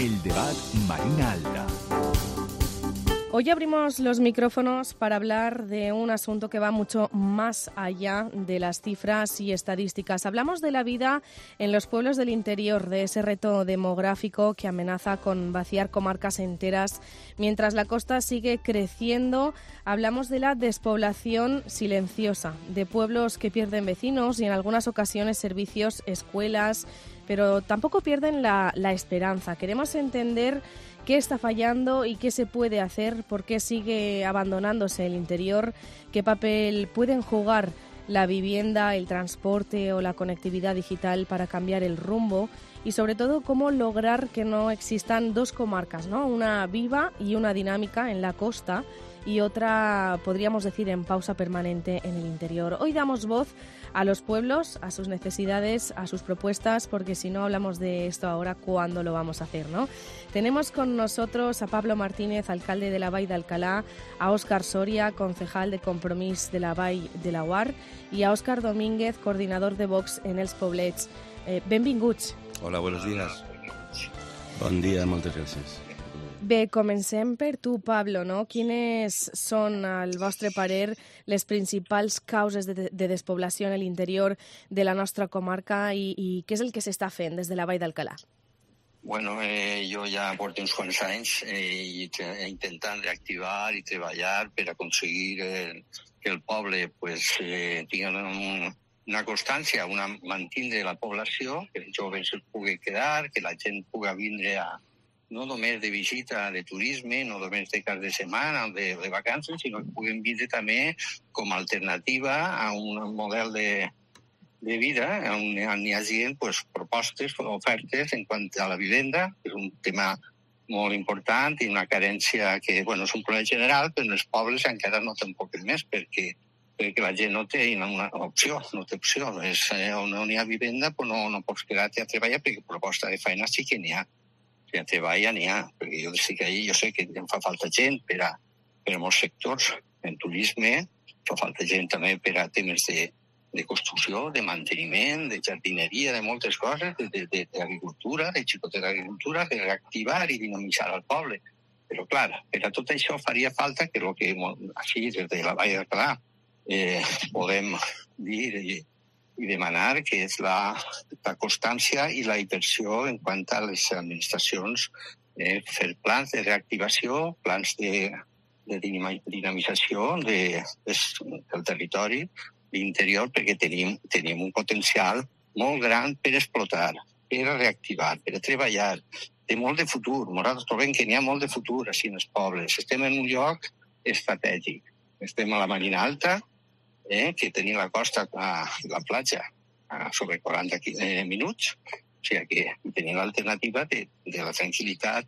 El debat Marina Alta. Hoy abrimos los micrófonos para hablar de un asunto que va mucho más allá de las cifras y estadísticas. Hablamos de la vida en los pueblos del interior, de ese reto demográfico que amenaza con vaciar comarcas enteras mientras la costa sigue creciendo. Hablamos de la despoblación silenciosa, de pueblos que pierden vecinos y en algunas ocasiones servicios, escuelas, pero tampoco pierden la esperanza. Queremos entender qué está fallando y qué se puede hacer, por qué sigue abandonándose el interior, qué papel pueden jugar la vivienda, el transporte o la conectividad digital para cambiar el rumbo y sobre todo cómo lograr que no existan dos comarcas, ¿no? Una viva y una dinámica en la costa y otra, podríamos decir, en pausa permanente en el interior. Hoy damos voz a los pueblos, a sus necesidades, a sus propuestas, porque si no hablamos de esto ahora, ¿cuándo lo vamos a hacer, no? Tenemos con nosotros a Pablo Martínez, alcalde de la Vall d'Alcalá, a Óscar Soria, concejal de Compromís de la Vall de Laguar, i a Òscar Domínguez, coordinador de Vox en els Poblets. Benvinguts. Hola, buenos días. Bon dia, moltes gràcies. Bé, comencem per tu, Pablo, no? Quines són, al vostre parer, les principals causes de despoblació en l'interior de la nostra comarca i què és el que s'està fent des de la Vall d'Alcalá? Bueno, jo ja porto uns quants anys intentant reactivar i treballar per aconseguir que el poble tingui una constància, mantindre la població, que els joves es pugui quedar, que la gent pugui vindre no només de visita, de turisme, no només de cap de setmana o de vacances, sinó que puguin vindre també com a alternativa a un model de vida on hi hagi propostes, ofertes en quant a la vivenda, que és un tema molt important i una carència que, és un problema general, però en els pobles encara no tampoc és més, perquè la gent no té una opció, no té opció. On no hi ha vivenda, no pots quedar-te a treballar, perquè proposta de feina sí que n'hi ha. Si a treballa n'hi ha, perquè jo sé que em fa falta gent per a molts sectors, en turisme, fa falta gent també per a temes de construcció, de manteniment, de jardineria, de moltes coses, d'agricultura, de xicotera d'agricultura, de reactivar i dinamitzar el poble. Però, clar, per a tot això faria falta que el que així, des de la Vall d'Alcalá, podem dir i demanar, que és la constància i la inversió en quant a les administracions, fer plans de reactivació, plans de dinamització del territori, l'interior, perquè tenim un potencial molt gran per explotar, per reactivar, per treballar. Té molt de futur. Nosaltres trobem que n'hi ha molt de futur així en els pobles. Estem en un lloc estratègic. Estem a la Marina Alta, que tenim la costa i la platja sobre 40 minuts, o sigui que tenim l'alternativa de la tranquil·litat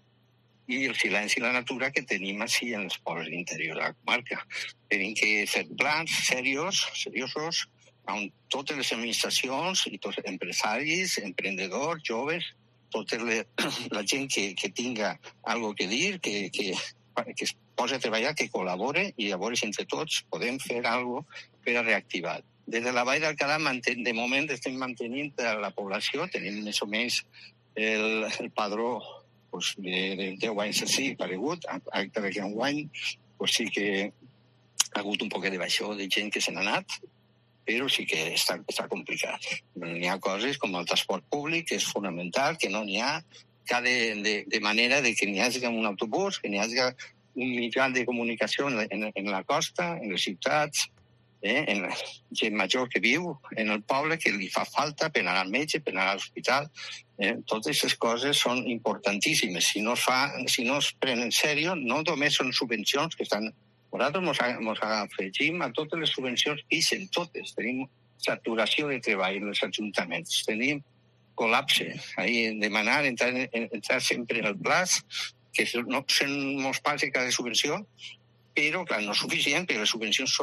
i el silenci i la natura que tenim així en els pobles de l'interior de la comarca. Tenim que fer plans seriosos on totes les administracions i tots els empresaris, emprendedors, joves, tota la gent que tinga alguna cosa a dir, que es posi a treballar, que col·labore i llavors entre tots podem fer alguna cosa per a reactivar. Des de la Vall d'Alcalá, de moment, estem mantenint la població, tenim més o menys el padró de 10 anys així paregut, encara que enguany sí que ha hagut un poc de baixó de gent que se n'ha anat, però sí que està complicat. N'hi ha coses com el transport públic, que és fonamental, que no n'hi ha, de manera que n'hi hagi un autobús, que n'hi hagi un mitjà de comunicació en la costa, en les ciutats, en la gent major que viu en el poble, que li fa falta per anar al metge, per anar a l'hospital. Totes aquestes coses són importantíssimes. Si no es prenen en sèrio, no només són subvencions que estan... Nosaltres ens afegim a totes les subvencions que ixen, totes. Tenim saturació de treball en els ajuntaments. Tenim col·lapse. Demanar entrar sempre en el plaç, que són molts pals de cada subvenció, però, clar, no és suficient, perquè les subvencions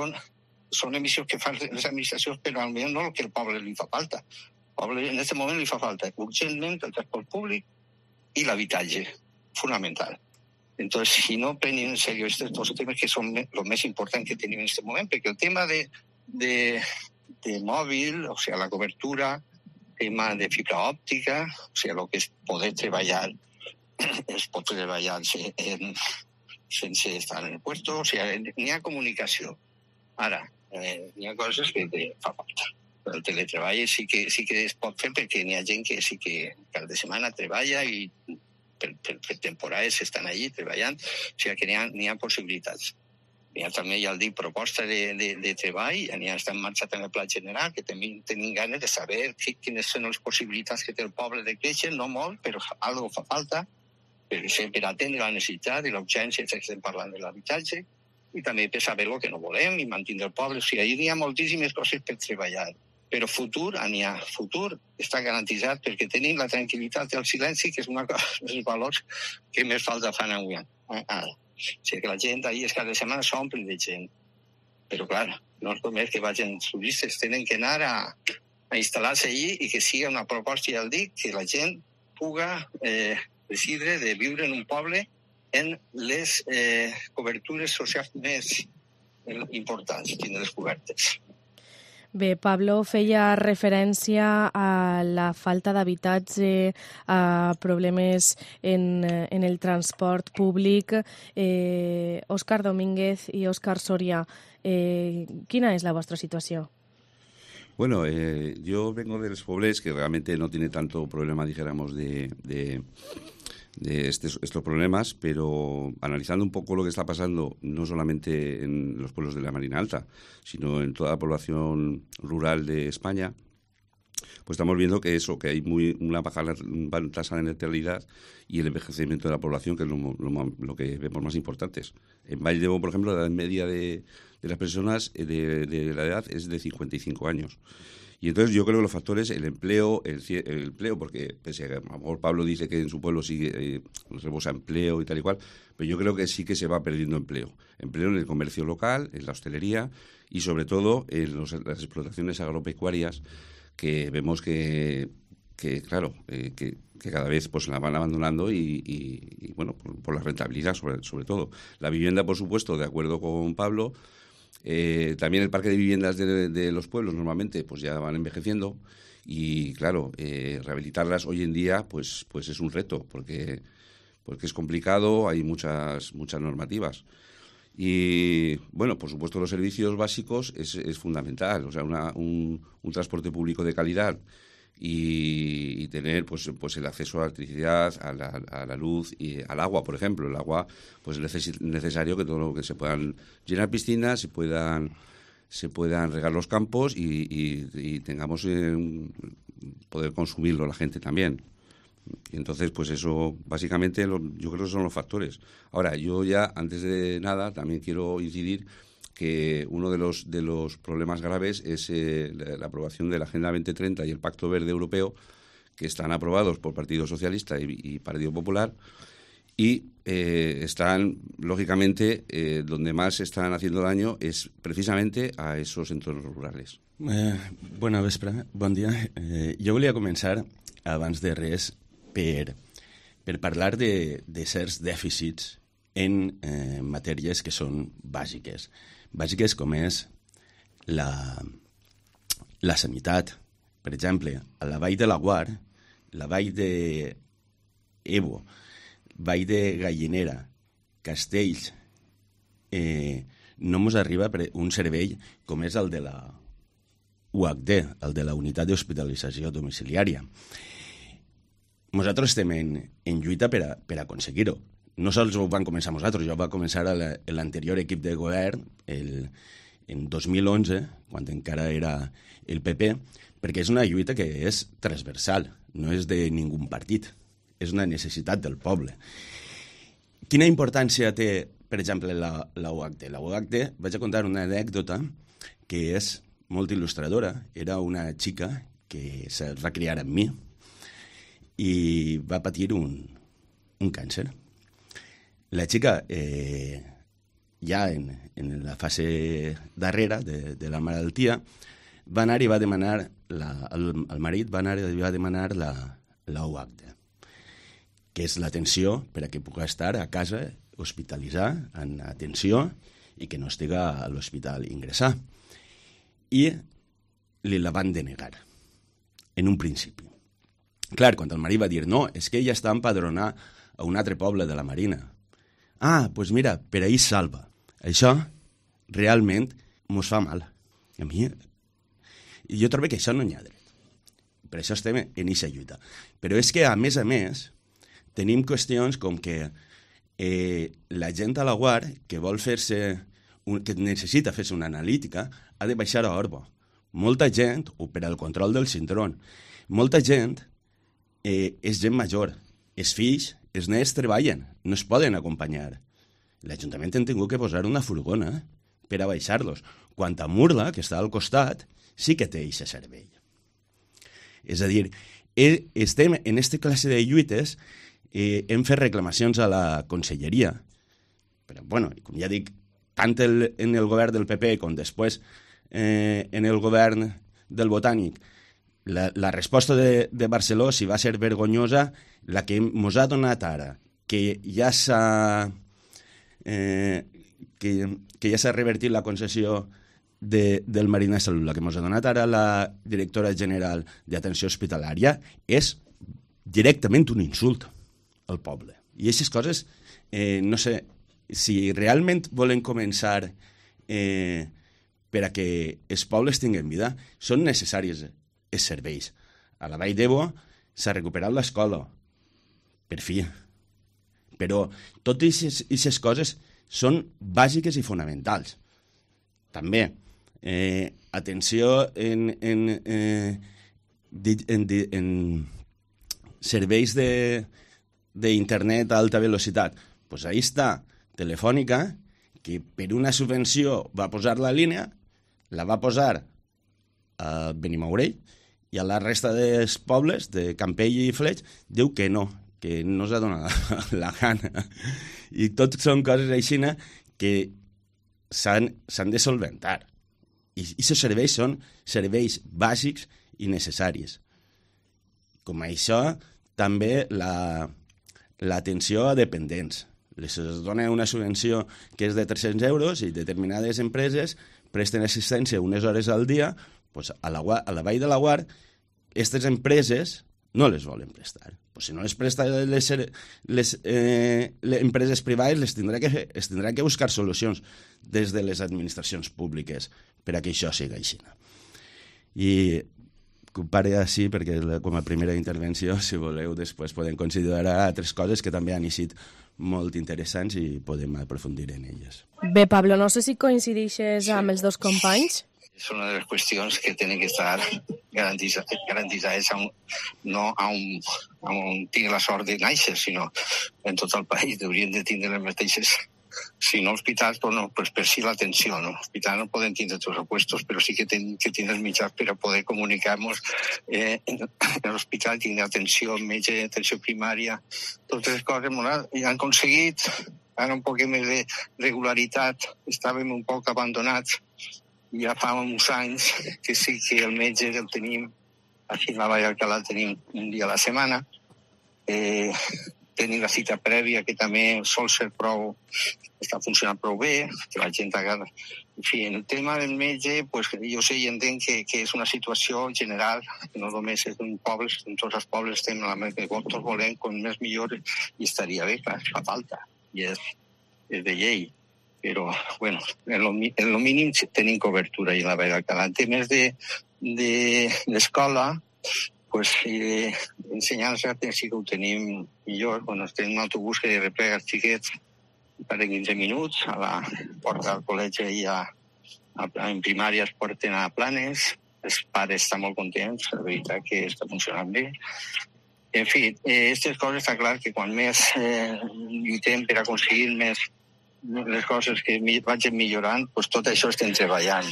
són emissions que fan les administracions, però almenys no el que al poble li fa falta. Al poble en aquest moment li fa falta urgentment el transport públic i l'habitatge, fonamental. Entonces, si no prenen en serio estos dos temas que son los más importantes que tenemos en este momento, porque el tema de móvil, o sea, la cobertura, tema de fibra óptica, o sea, lo que es poder treballar es pot treballar sense estar en el puesto, o sigui, n'hi ha comunicació. Ara, n'hi ha coses que fa falta. El teletreball sí que es pot fer perquè n'hi ha gent que sí que cada setmana treballa i per temporades estan allí treballant, o sigui que n'hi ha possibilitats. N'hi ha també, ja el dic, proposta de treball, n'hi ha està en marxa també el Pla General, que també tenim ganes de saber quines són les possibilitats que té el poble de créixer, no molt, però algo fa falta, per atendre la necessitat i l'urgència que estem parlant de l'habitatge, i també per saber el que no volem i mantenir el poble. O sigui, n'hi ha moltíssimes coses per treballar. Però futur, n'hi ha. Futur està garantitzat perquè tenim la tranquil·litat i el silenci, que és una cosa dels valors que més falta fan avui. Ara. O sigui que la gent allà cada setmana s'omple de gent. Però, clar, no és només que vagin turistes, tenen que anar a instal·lar-se allí i que sigui una proposta, ja el dic, que la gent puga decidir de viure en un poble en les cobertures socials més importants, tindre les cobertes. Bé, Pablo feia referència a la falta d'habitatge, a problemes en el transport públic. Òscar Domínguez i Òscar Soria, quina és la vostra situació? Bueno, yo vengo de los Poblés, que realmente no tiene tanto problema, dijéramos, de estos problemas, pero analizando un poco lo que está pasando, no solamente en los pueblos de la Marina Alta, sino en toda la población rural de España, pues estamos viendo que hay una baja tasa de natalidad y el envejecimiento de la población, que es lo que vemos más importantes. En Vall d'Ebo, por ejemplo, la edad media de las personas de la edad es de 55 años. Y entonces yo creo que los factores, el empleo, porque pese a que a lo mejor Pablo dice que en su pueblo sigue rebosa empleo y tal y cual, pero yo creo que sí que se va perdiendo empleo. Empleo en el comercio local, en la hostelería y sobre todo en las explotaciones agropecuarias, que vemos que cada vez pues la van abandonando y bueno, por la rentabilidad sobre todo. La vivienda, por supuesto, de acuerdo con Pablo. También el parque de viviendas de los pueblos normalmente pues ya van envejeciendo y claro, rehabilitarlas hoy en día pues es un reto porque es complicado, hay muchas normativas. Y bueno, por supuesto los servicios básicos es fundamental, o sea, un transporte público de calidad y tener pues el acceso a la electricidad, a la luz y al agua, por ejemplo. El agua pues es necesario que todo lo que se puedan llenar piscinas, se puedan regar los campos y tengamos poder consumirlo la gente también. Y entonces pues eso básicamente yo creo que son los factores. Ahora, yo ya antes de nada también quiero incidir que uno de los problemas graves es la aprobación de la Agenda 2030 y el Pacto Verde Europeo, que están aprobados por Partido Socialista y Partido Popular, y están, lógicamente, donde más están haciendo daño es precisamente a esos entornos rurales. Bona vespre, bon dia. Jo volia començar, abans de res, per parlar de certs dèficits en matèries que són bàsiques. Bàsiques com és la sanitat. Per exemple, a la Vall de Laguar, la Vall d'Ebo, Vall de Gallinera, Castells, no ens arriba un servei com és el de la UHD, el de la Unitat d'Hospitalització Domiciliària. Nosaltres estem en lluita per aconseguir-ho. No sols ho van començar nosaltres, ja va començar l'anterior equip de govern en 2011, quan encara era el PP, perquè és una lluita que és transversal, no és de ningú partit, és una necessitat del poble. Quina importància té, per exemple, la UHD? La UHD, vaig a contar una anècdota que és molt il·lustradora. Era una xica que se va criar amb mi i va patir un càncer. La xica, ja en la fase darrera de la malaltia, va anar i va demanar, el marit va anar i va demanar la UHD, que és l'atenció per a que pugui estar a casa, hospitalitzar, en atenció, i que no estigui a l'hospital ingressar. I li la van denegar, en un principi. Clar, quan el marit va dir no, és que ella està empadronada a un altre poble de la Marina. Doncs mira, per ahir salva. Això realment mos fa mal. A mi, jo trobo que això no n'hi ha dret. Per això estem en aquesta lluita. Però és que, a més, tenim qüestions com que la gent a la UAR que vol fer-se, que necessita fer-se una analítica, ha de baixar a Orbo. Molta gent, o per al control del cinturón, molta gent és gent major. Els fills, els nens treballen, no es poden acompanyar. L'Ajuntament ha tingut que posar una furgona per a baixar-los. Quant a Murla, que està al costat, sí que té aquest servei. És a dir, estem en aquesta classe de lluites, hem fet reclamacions a la conselleria, però, bueno, com ja dic, tant en el govern del PP com després en el govern del Botànic, la resposta de Barceló, si va ser vergonyosa, la que mos ha donat ara, que ja s'ha revertit la concessió del Marina de Salut, la que ens ha donat ara la directora general d'Atenció Hospitalària, és directament un insult al poble. I aquestes coses, no sé, si realment volen començar per a que els pobles tinguin vida, són necessaris els serveis. A la Vall d'Ebo s'ha recuperat l'escola, per fi. Però totes aquestes coses són bàsiques i fonamentals. També, atenció en serveis d'internet a alta velocitat. Doncs ahí està Telefònica, que per una subvenció va posar la línia, la va posar a Benimourell, i a la resta dels pobles, de Campell i Fleig, diu que no s'ha donat la gana. I tot són coses així que s'han de solventar. I aquests serveis són serveis bàsics i necessaris. Com això, també l'atenció a dependents. Les dona una subvenció que és de 300 euros i determinades empreses presten assistència unes hores al dia, doncs a la Vall de la UAR, aquestes empreses no les volen prestar. Pues si no les prestan les empreses privades, es tindrà que buscar solucions des de les administracions públiques per a que això sigui així. I que ho pare així, perquè com a primera intervenció, si voleu, després podem considerar altres coses que també han eixit molt interessants i podem aprofundir en elles. Bé, Pablo, no sé si coincideixes amb els dos companys. És una de les qüestions que tenen que estar garantitzades no on tinc la sort de néixer, sinó en tot el país. Haurien de tindre les mateixes, si no hospitals, però no, pues per si l'atenció. No? Hospital no poden tindre tots els puestos, però sí que tenen que tindre els mitjans per a poder comunicar-nos en l'hospital, tindre atenció metge, atenció primària, totes les coses i han aconseguit ara un poc més de regularitat. Estàvem un poc abandonats. Ja fa uns anys que sí que el metge el tenim, aquí a la Vall d'Alcalà tenim un dia a la setmana, tenim la cita prèvia que també sol ser prou, està funcionant prou bé, que la gent agarra. En fi, en el tema del metge, pues, jo sé i entenc que és una situació general, que no només és un poble, en tots els pobles estem a la més que tots volem, com més millor, i estaria bé, clar, fa falta, i és de llei. Però, bueno, en lo mínim tenim cobertura i la Vall d'Alcalà. En temes de l'escola, pues, ensenyança sí que ho tenim millor. Bueno, tenim un autobús que replega els xiquets per 15 minuts, a la porta del col·legi i en primària es porten a Planes, els pares estan molt contents, la veritat que està funcionant bé. En fi, aquestes coses està clar que quan més lluitem per aconseguir més les coses que vagin millorant, doncs tot això estem treballant.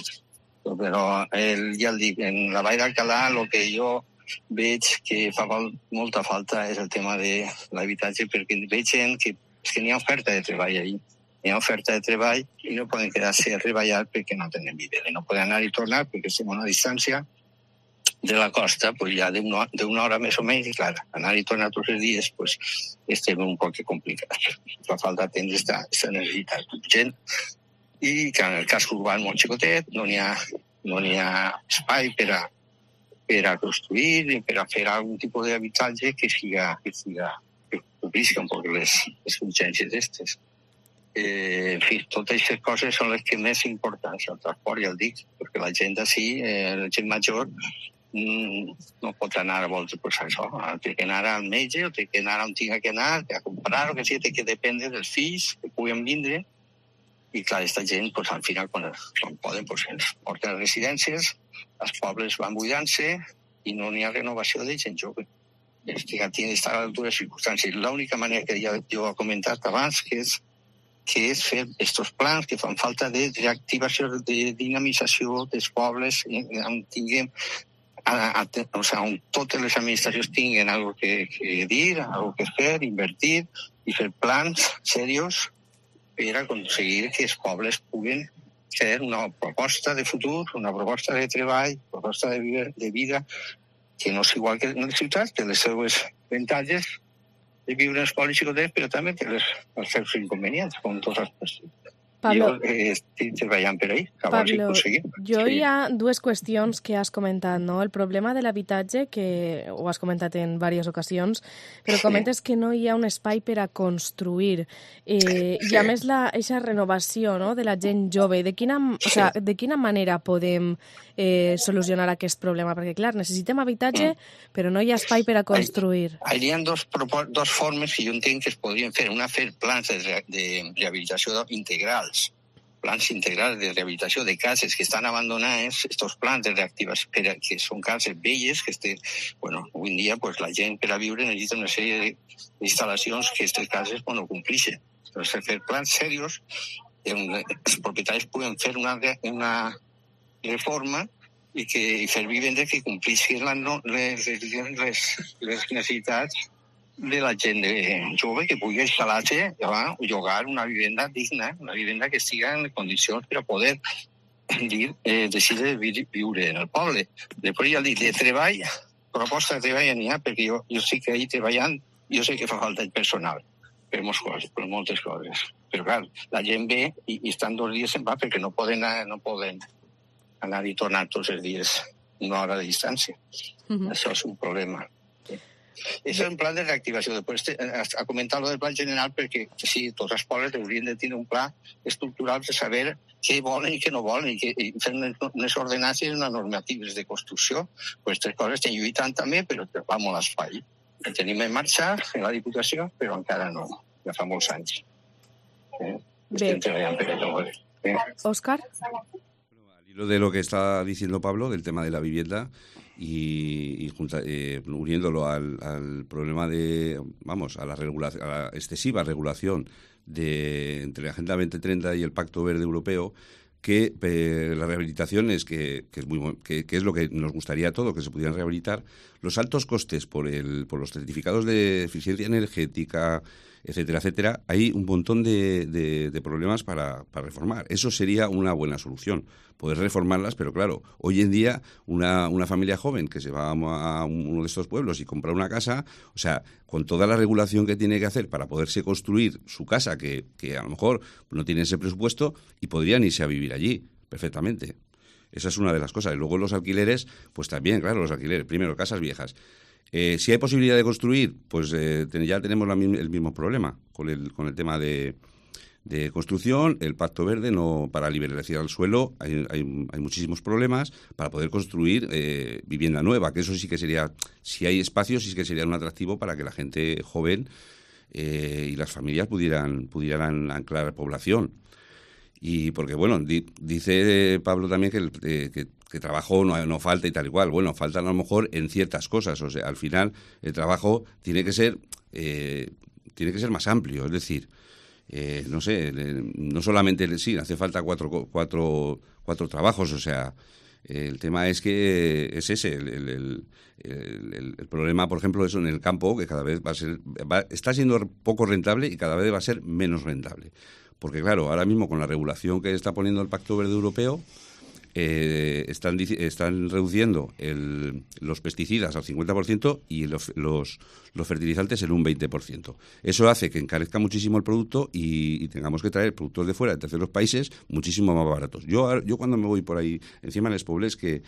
Però ja el dic, en la Vall d'Alcalà el que jo veig que fa molta falta és el tema de l'habitatge, perquè veig gent que n'hi ha oferta de treball allà. Hi ha oferta de treball i no poden quedar-se a treballar perquè no tenen vida. No poden anar i tornar perquè estem a una distància de la costa, pues ja d'una hora més o menys, i clar, anar i tornar tots els dies, pues estem un poc complicats. Fa falta atendre aquesta necessitat urgent i que en el casc urbà molt xicotet no n'hi ha espai per a construir i per a fer algun tipus d'habitatge que siga que complisca un poc les urgències d'estes. En fi, totes aquestes coses són les que més importants, el transport, ja el dic, perquè la gent d'ací, la gent major, no pot anar a voltes per això. Té que anar al metge, o té que anar on tinga que anar, a comprar, o que sigui, té que dependre dels fills que puguen vindre. I clar, aquesta gent, pues, al final, quan poden, pues, ens porten a les residències, els pobles van buidant-se i no n'hi ha renovació de gent jove. Tiene que estar a l'altura de circumstàncies. L'única manera que ja jo he comentat abans, que és fer aquests plans que fan falta de reactivació, de dinamització dels pobles, on tinguem, o sigui, on totes les administracions tinguen alguna cosa que dir, alguna cosa que fer, invertir i fer plans serios per aconseguir que els pobles puguen fer una proposta de futur, una proposta de treball, proposta de vida, que no és igual que en les ciutats, té les seues avantatges de viure en els pobles xicotets, però també té els seus inconvenients, com tots els persones. Pablo, jo estic treballant per ahí, Pablo, jo hi ha dues qüestions que has comentat, no? El problema de l'habitatge, que ho has comentat en diverses ocasions, però comentes que no hi ha un espai per a construir. I a més, aquesta renovació, no?, de la gent jove, de quina manera podem solucionar aquest problema? Perquè, clar, necessitem habitatge, però no hi ha espai per a construir. Hi ha dos formes que jo entenc que es podrien fer. Una, fer plans de rehabilitació integral, plans integrals de rehabilitació de cases que estan abandonades, aquests plans de reactivació, que són cases velles, que avui en dia pues, la gent per a viure necessita una sèrie d'instal·lacions que aquestes cases complixen. Entonces, fer plans serios, els propietaris puguen fer una reforma i fer vivendes que complixin les necessitats de la gent jove que pugui instal·lar-se o llogar una vivenda digna, una vivenda que estigui en condicions per a poder decidir viure en el poble. Després ja dic, de treball, proposta de treball n'hi ha, perquè jo sí que ahir treballant, jo sé que fa falta el personal per moltes coses. Però clar, la gent ve i estan 2 dies se'n va perquè no poden anar i tornar tots els dies una hora de distància. Això és un problema. És un plan de reactivació. Després a comentar lo del pla general, perquè sí, tots els pobles haurien de tenir un pla estructural per saber què volen i què no volen i fer unes ordenances i unes normatives de construcció. Aquestes coses estem lluitant també, però va molt espai. El tenim en marxa en la Diputació, però encara no. Ja fa molts anys. Estem treballant per allò. Òscar? Al hilo de lo que está diciendo Pablo, del tema de la vivienda, y uniéndolo al problema de, a la excesiva regulación entre la Agenda 2030 y el Pacto Verde Europeo, que la rehabilitación es es lo que nos gustaría a todos, que se pudieran rehabilitar. Los altos costes por los certificados de eficiencia energética, etcétera, etcétera, hay un montón de problemas para reformar. Eso sería una buena solución, poder reformarlas, pero claro, hoy en día una familia joven que se va a uno de estos pueblos y compra una casa, o sea, con toda la regulación que tiene que hacer para poderse construir su casa, que a lo mejor no tiene ese presupuesto, y podrían irse a vivir allí perfectamente. Esa es una de las cosas. Y luego los alquileres, pues también, claro, los alquileres. Primero, casas viejas. Si hay posibilidad de construir, pues ya tenemos el mismo problema con el tema de construcción. El Pacto Verde, para liberalizar el suelo, hay muchísimos problemas para poder construir vivienda nueva, que eso sí que sería, si hay espacio, sí que sería un atractivo para que la gente joven y las familias pudieran anclar población. Y porque, bueno, dice Pablo también que trabajo no falta y tal y cual. Bueno, faltan a lo mejor en ciertas cosas. O sea, al final el trabajo tiene que ser más amplio. Es decir, no sé, no solamente hace falta cuatro trabajos. O sea, el tema es que es ese. El problema, por ejemplo, eso en el campo, que cada vez está siendo poco rentable y cada vez va a ser menos rentable. Porque, claro, ahora mismo con la regulación que está poniendo el Pacto Verde Europeo, están reduciendo los pesticidas al 50% y los fertilizantes en un 20%. Eso hace que encarezca muchísimo el producto y tengamos que traer productos de fuera, de terceros países, muchísimo más baratos. Yo cuando me voy por ahí, encima en Les Pobles, que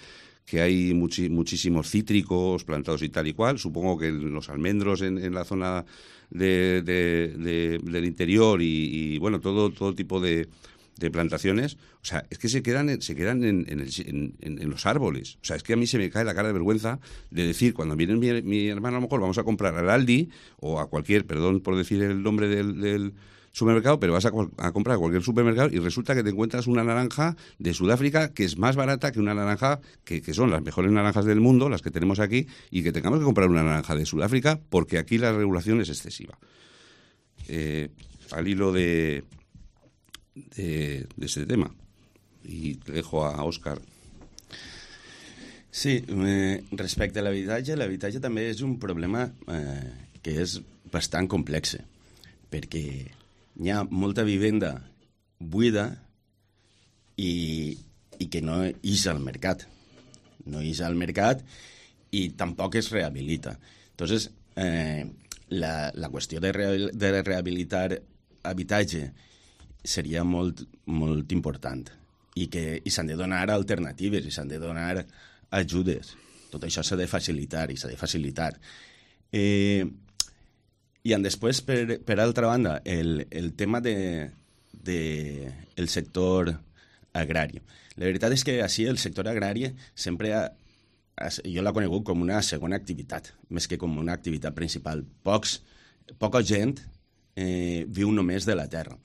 que hay muchísimos cítricos plantados y tal y cual. Supongo que los almendros en la zona del interior y bueno, todo tipo de plantaciones, o sea, es que se quedan en los árboles. O sea, es que a mí se me cae la cara de vergüenza de decir, cuando viene mi hermano, a lo mejor vamos a comprar al Aldi o a cualquier, perdón por decir el nombre del supermercado, pero vas a comprar a cualquier supermercado y resulta que te encuentras una naranja de Sudáfrica que es más barata que una naranja que son las mejores naranjas del mundo, las que tenemos aquí, y que tengamos que comprar una naranja de Sudáfrica porque aquí la regulación es excesiva. Al hilo de este tema, y te dejo a Òscar. Sí, respecte a l'habitatge també és un problema que és bastant complex, perquè hi ha molta vivenda buida i que no ix al mercat. No ix al mercat i tampoc es rehabilita. Entonces, la qüestió de rehabilitar habitatge seria molt, molt important i s'han de donar alternatives i s'han de donar ajudes. Tot això s'ha de facilitar i s'ha de facilitar. I després, per altra banda, el tema del sector agrari. La veritat és que així el sector agrari sempre jo l'he conegut com una segona activitat, més que com una activitat principal. Poca gent viu només de la terra.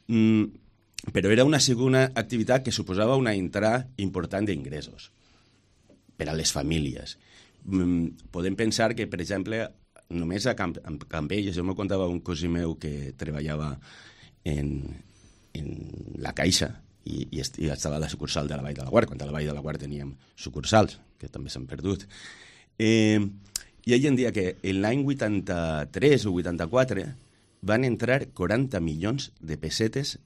Però era una segona activitat que suposava una entrada important d'ingressos per a les famílies. Podem pensar que, per exemple, només a Campelles, jo m'ho contava un cosí meu que treballava en la Caixa i estava a la sucursal de la Vall de Laguar, quan a la Vall de Laguar teníem sucursals, que també s'han perdut. I ell en dia que l'any 83 o 84 van entrar 40 milions de pessetes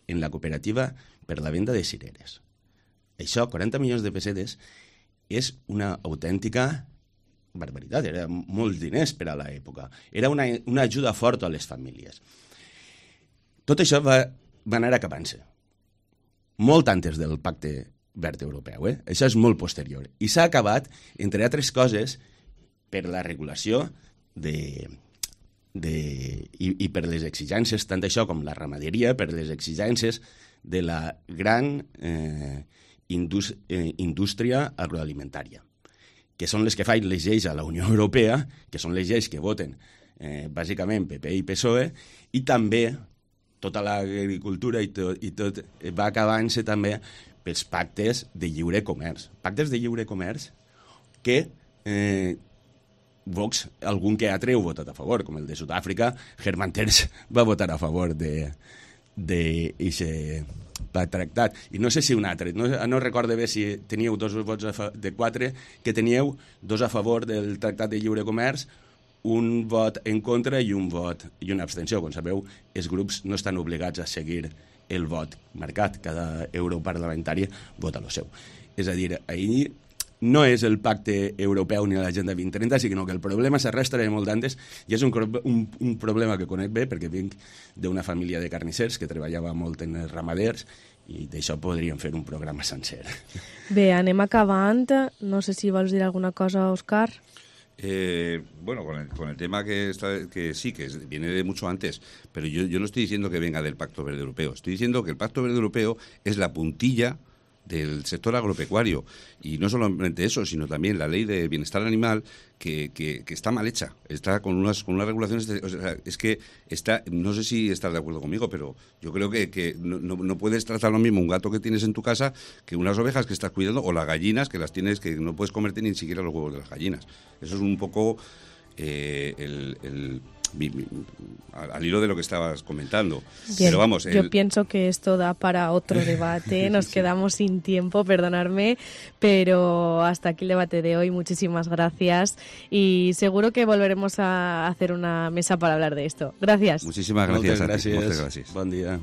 en la cooperativa per la venda de cireres. Això, 40 milions de pessetes, és una autèntica barbaritat, era molts diners per a l'època. Era una ajuda forta a les famílies. Tot això va anar acabant-se. Molt antes del Pacte Verd Europeu, Això és molt posterior. I s'ha acabat, entre altres coses, per la regulació i per les exigències, tant això com la ramaderia, per les exigències de la gran indústria agroalimentària, que són les que fan les lleis a la Unió Europea, que són les lleis que voten bàsicament PP i PSOE, i també tota l'agricultura i tot va acabant-se també pels pactes de lliure comerç. Pactes de lliure comerç que Vox, algun que altre ho ha votat a favor, com el de Sud-àfrica. Herman Tertsch va votar a favor d'aquest tractat. I no sé si un altre, no recordo bé si teníeu 2 vots de 4, que teníeu 2 a favor del tractat de lliure comerç, un vot en contra i un vot i una abstenció. Com sabeu, els grups no estan obligats a seguir el vot marcat. Cada europarlamentari vota el seu. És a dir, ahir no és el pacte europeu ni l'agenda 2030, sinó que el problema s'arrastra de molt d'antes i és un problema que conec bé perquè vinc d'una família de carnissers que treballava molt en els ramaders i d'això podríem fer un programa sencer. Bé, anem acabant. No sé si vols dir alguna cosa, Òscar. Bueno, con el tema que sí, que viene de mucho antes, pero yo no estoy diciendo que venga del Pacto Verde Europeo, estoy diciendo que el Pacto Verde Europeo es la puntilla del sector agropecuario, y no solamente eso, sino también la ley de bienestar animal que está mal hecha, está con unas regulaciones, o sea, es que está, no sé si estás de acuerdo conmigo, pero yo creo que no puedes tratar lo mismo un gato que tienes en tu casa que unas ovejas que estás cuidando, o las gallinas que las tienes, que no puedes comerte ni siquiera los huevos de las gallinas. Eso es un poco al hilo de lo que estabas comentando. Bien, pero vamos, yo pienso que esto da para otro debate. Nos quedamos sin tiempo, perdonadme, pero hasta aquí el debate de hoy. Muchísimas gracias y seguro que volveremos a hacer una mesa para hablar de esto. Gracias. Muchísimas gracias. Muchas gracias. Buen día.